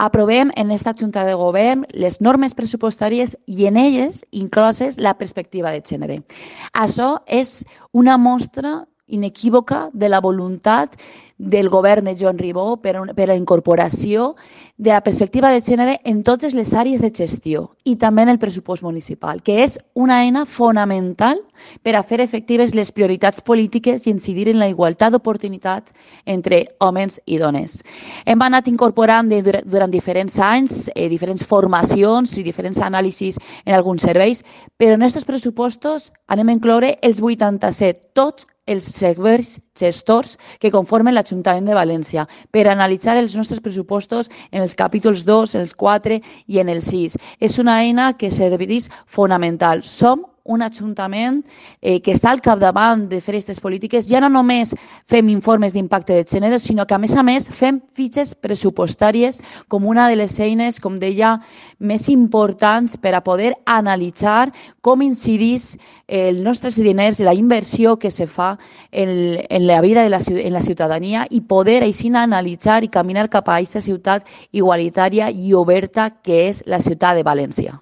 Aprovem en aquesta Junta de Govern les normes pressupostàries i en elles incloses la perspectiva de gènere. Això és una mostra inequívoca de la voluntat del govern de Joan Ribó per a la incorporació de la perspectiva de gènere en totes les àrees de gestió i també en el pressupost municipal, que és una eina fonamental per a fer efectives les prioritats polítiques i incidir en la igualtat d'oportunitats entre homes i dones. Hem anat incorporant durant diferents anys diferents formacions i diferents anàlisis en alguns serveis, però en aquests pressupostos anem a incloure els 87, tots els serveis gestors que conformen l'Ajuntament de València per analitzar els nostres pressupostos en els capítols 2, els 4 i en el 6. És una eina que serveix fonamental. Som un ajuntament que està al capdavant de fer aquestes polítiques. Ja no només fem informes d'impacte de gènere, sinó que, a més, fem fitxes pressupostàries com una de les eines, com deia, més importants per a poder analitzar com incidís els nostres diners, la inversió que se fa en la vida en la ciutadania i poder així analitzar i caminar cap a aquesta ciutat igualitària i oberta que és la ciutat de València.